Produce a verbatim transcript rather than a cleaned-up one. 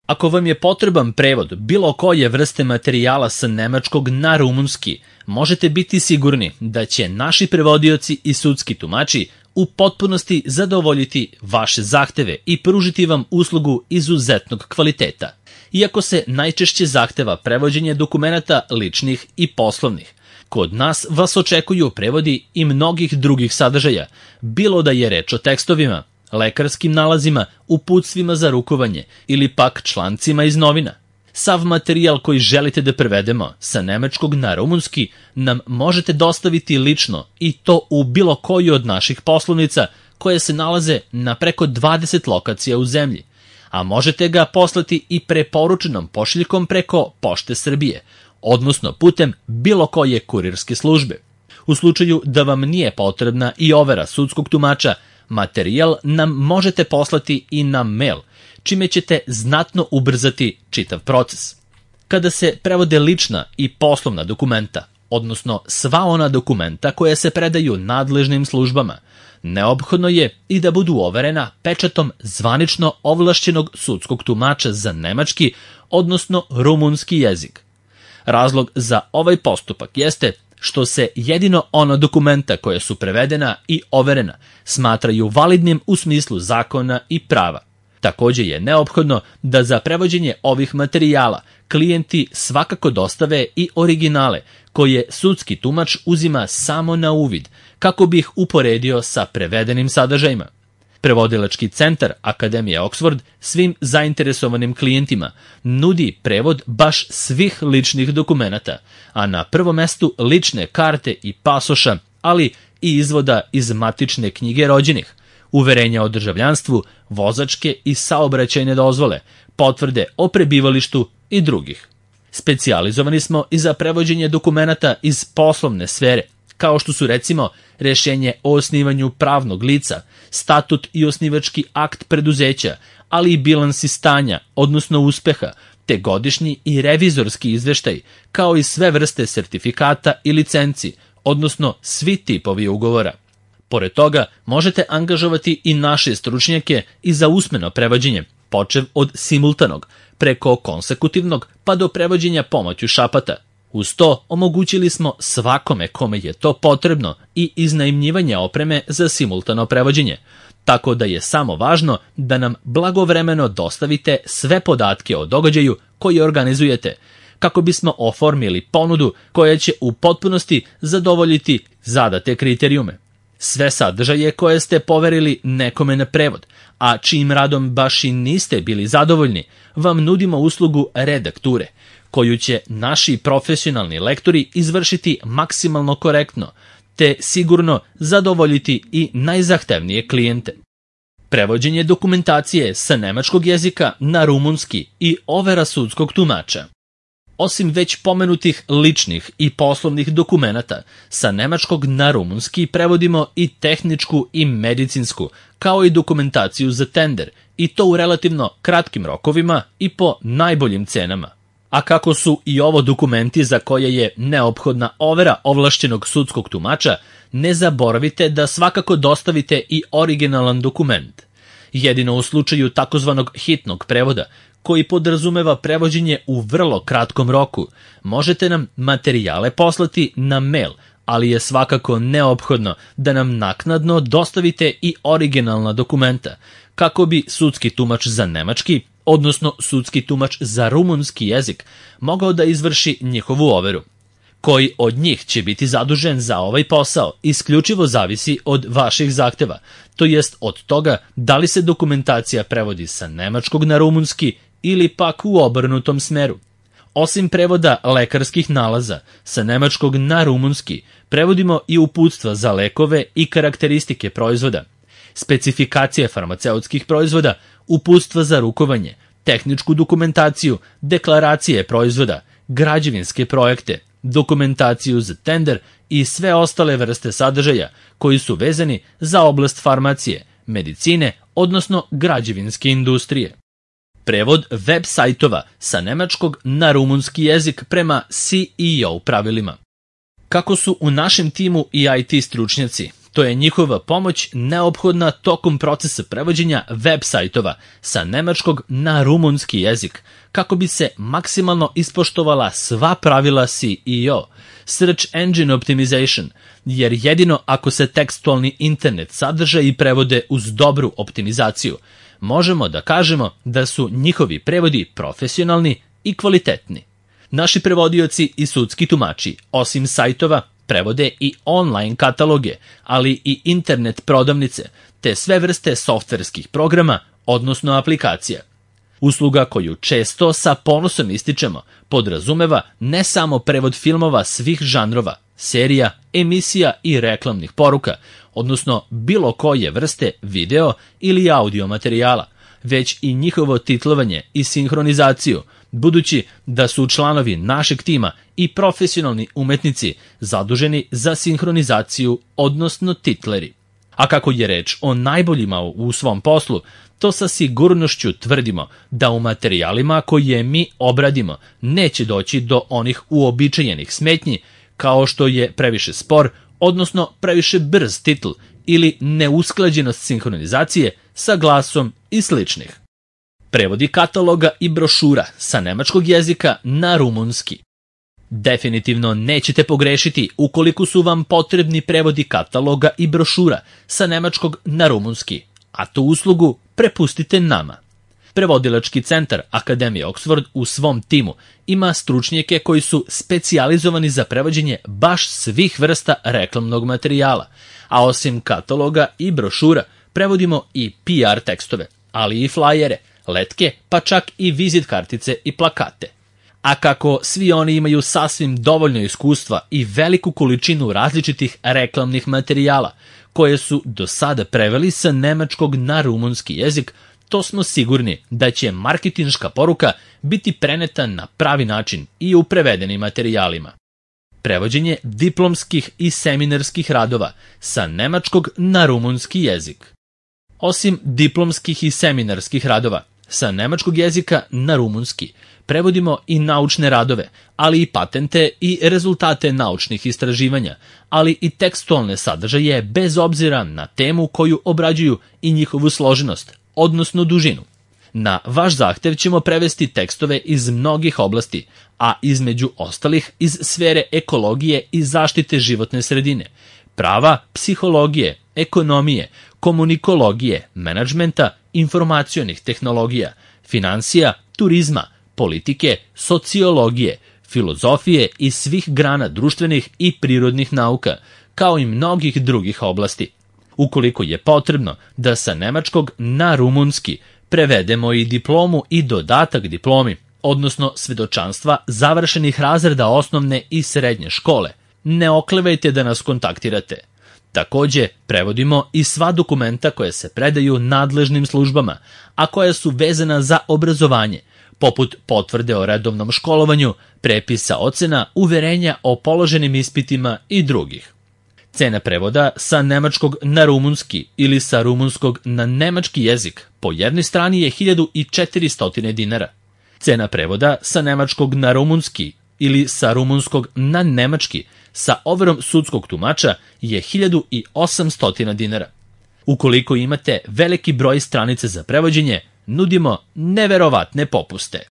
Ako vam je potreban prevod bilo koje vrste materijala sa nemačkog na rumunski, možete biti sigurni da će naši prevodioci i sudski tumači u potpunosti zadovoljiti vaše zahteve i pružiti vam uslugu izuzetnog kvaliteta. Iako se najčešće zahteva prevođenje dokumenata ličnih i poslovnih, kod nas vas očekuju prevodi i mnogih drugih sadržaja, bilo da je reč o tekstovima, lekarskim nalazima, uputstvima za rukovanje ili pak člancima iz novina. Sav materijal koji želite da prevedemo sa nemačkog na rumunski nam možete dostaviti lično i to u bilo koju od naših poslovnica koje se nalaze na preko dvadeset lokacija u zemlji, a možete ga poslati i preporučenom pošiljkom preko Pošte Srbije, odnosno putem bilo koje kurirske službe. U slučaju da vam nije potrebna i overa sudskog tumača, materijal nam možete poslati i na mail, čime ćete znatno ubrzati čitav proces. Kada se prevode lična i poslovna dokumenta, odnosno sva ona dokumenta koja se predaju nadležnim službama, neophodno je i da budu overena pečatom zvanično ovlašćenog sudskog tumača za nemački, odnosno rumunski jezik. Razlog za ovaj postupak jeste što se jedino ona dokumenta koja su prevedena i overena smatraju validnim u smislu zakona i prava. Takođe je neophodno da za prevođenje ovih materijala klijenti svakako dostave i originale koje sudski tumač uzima samo na uvid kako bi ih uporedio sa prevedenim sadržajima. Prevodilački centar Akademije Oxford svim zainteresovanim klijentima nudi prevod baš svih ličnih dokumenata, a na prvom mestu lične karte i pasoša, ali i izvoda iz matične knjige rođenih, uverenja o državljanstvu, vozačke i saobraćajne dozvole, potvrde o prebivalištu i drugih. Specijalizovani smo i za prevođenje dokumenata iz poslovne sfere, kao što su recimo rešenje o osnivanju pravnog lica, statut i osnivački akt preduzeća, ali i bilansi stanja, odnosno uspeha, te godišnji i revizorski izveštaj, kao i sve vrste sertifikata i licenci, odnosno svi tipovi ugovora. Pored toga, možete angažovati i naše stručnjake i za usmeno prevođenje, počev od simultanog, preko konsekutivnog pa do prevođenja pomoću šapata. Uz to omogućili smo svakome kome je to potrebno i iznajmljivanje opreme za simultano prevođenje, tako da je samo važno da nam blagovremeno dostavite sve podatke o događaju koji organizujete, kako bismo oformili ponudu koja će u potpunosti zadovoljiti zadate kriterijume. Sve sadržaje koje ste poverili nekome na prevod, a čijim radom baš i niste bili zadovoljni, vam nudimo uslugu redakture, koju će naši profesionalni lektori izvršiti maksimalno korektno, te sigurno zadovoljiti i najzahtevnije klijente. Prevođenje dokumentacije sa nemačkog jezika na rumunski i overa sudskog tumača. Osim već pomenutih ličnih i poslovnih dokumenata, sa nemačkog na rumunski prevodimo i tehničku i medicinsku, kao i dokumentaciju za tender, i to u relativno kratkim rokovima i po najboljim cenama. A kako su i ovo dokumenti za koje je neophodna overa ovlašćenog sudskog tumača, ne zaboravite da svakako dostavite i originalan dokument. Jedino u slučaju takozvanog hitnog prevoda, koji podrazumeva prevođenje u vrlo kratkom roku, možete nam materijale poslati na mail, ali je svakako neophodno da nam naknadno dostavite i originalna dokumenta, kako bi sudski tumač za nemački, odnosno sudski tumač za rumunski jezik, mogao da izvrši njihovu overu. Koji od njih će biti zadužen za ovaj posao isključivo zavisi od vaših zahteva, to jest od toga da li se dokumentacija prevodi sa nemačkog na rumunski ili pak u obrnutom smeru. Osim prevoda lekarskih nalaza sa nemačkog na rumunski, prevodimo i uputstva za lekove i karakteristike proizvoda, specifikacije farmaceutskih proizvoda, uputstva za rukovanje, tehničku dokumentaciju, deklaracije proizvoda, građevinske projekte, dokumentaciju za tender i sve ostale vrste sadržaja koji su vezani za oblast farmacije, medicine, odnosno građevinske industrije. Prevod web sajtova sa nemačkog na rumunski jezik prema C E O pravilima. Kako su u našem timu i I T stručnjaci, što je njihova pomoć neophodna tokom procesa prevođenja web sajtova sa nemačkog na rumunski jezik, kako bi se maksimalno ispoštovala sva pravila S E O, Search Engine Optimization, jer jedino ako se tekstualni internet sadržaji prevode uz dobru optimizaciju, možemo da kažemo da su njihovi prevodi profesionalni i kvalitetni. Naši prevodioci i sudski tumači, osim sajtova, prevode i online kataloge, ali i internet prodavnice, te sve vrste softverskih programa, odnosno aplikacija. Usluga koju često sa ponosom ističemo podrazumeva ne samo prevod filmova svih žanrova, serija, emisija i reklamnih poruka, odnosno bilo koje vrste video ili audio materijala, već i njihovo titlovanje i sinhronizaciju, budući da su članovi našeg tima i profesionalni umetnici zaduženi za sinhronizaciju, odnosno titleri. A kako je reč o najboljima u svom poslu, to sa sigurnošću tvrdimo da u materijalima koje mi obradimo neće doći do onih uobičajenih smetnji, kao što je previše spor, odnosno previše brz titl ili neusklađenost sinhronizacije sa glasom i sličnih. Prevodi kataloga i brošura sa nemačkog jezika na rumunski. Definitivno nećete pogrešiti ukoliko su vam potrebni prevodi kataloga i brošura sa nemačkog na rumunski, a tu uslugu prepustite nama. Prevodilački centar Akademije Oxford u svom timu ima stručnjake koji su specijalizovani za prevođenje baš svih vrsta reklamnog materijala, a osim kataloga i brošura prevodimo i P R tekstove, ali i flajere, letke, pa čak i vizit kartice i plakate. A kako svi oni imaju sasvim dovoljno iskustva i veliku količinu različitih reklamnih materijala, koje su do sada preveli sa nemačkog na rumunski jezik, to smo sigurni da će marketinška poruka biti preneta na pravi način i u prevedenim materijalima. Prevođenje diplomskih i seminarskih radova sa nemačkog na rumunski jezik. Osim diplomskih i seminarskih radova sa nemačkog jezika na rumunski, prevodimo i naučne radove, ali i patente i rezultate naučnih istraživanja, ali i tekstualne sadržaje bez obzira na temu koju obrađuju i njihovu složenost, odnosno dužinu. Na vaš zahtev ćemo prevesti tekstove iz mnogih oblasti, a između ostalih iz sfere ekologije i zaštite životne sredine, prava, psihologije, ekonomije, komunikologije, menadžmenta, informacionih tehnologija, finansija, turizma, politike, sociologije, filozofije i svih grana društvenih i prirodnih nauka, kao i mnogih drugih oblasti. Ukoliko je potrebno da sa nemačkog na rumunski prevedemo i diplomu i dodatak diplomi, odnosno svedočanstva završenih razreda osnovne i srednje škole, ne oklevajte da nas kontaktirate. Takođe, prevodimo i sva dokumenta koje se predaju nadležnim službama, a koja su vezana za obrazovanje, poput potvrde o redovnom školovanju, prepisa ocena, uverenja o položenim ispitima i drugih. Cena prevoda sa nemačkog na rumunski ili sa rumunskog na nemački jezik po jednoj strani je hiljadu četiristo dinara. Cena prevoda sa nemačkog na rumunski ili sa rumunskog na nemački sa overom sudskog tumača je hiljadu osamsto dinara. Ukoliko imate veliki broj stranica za prevođenje, nudimo neverovatne popuste.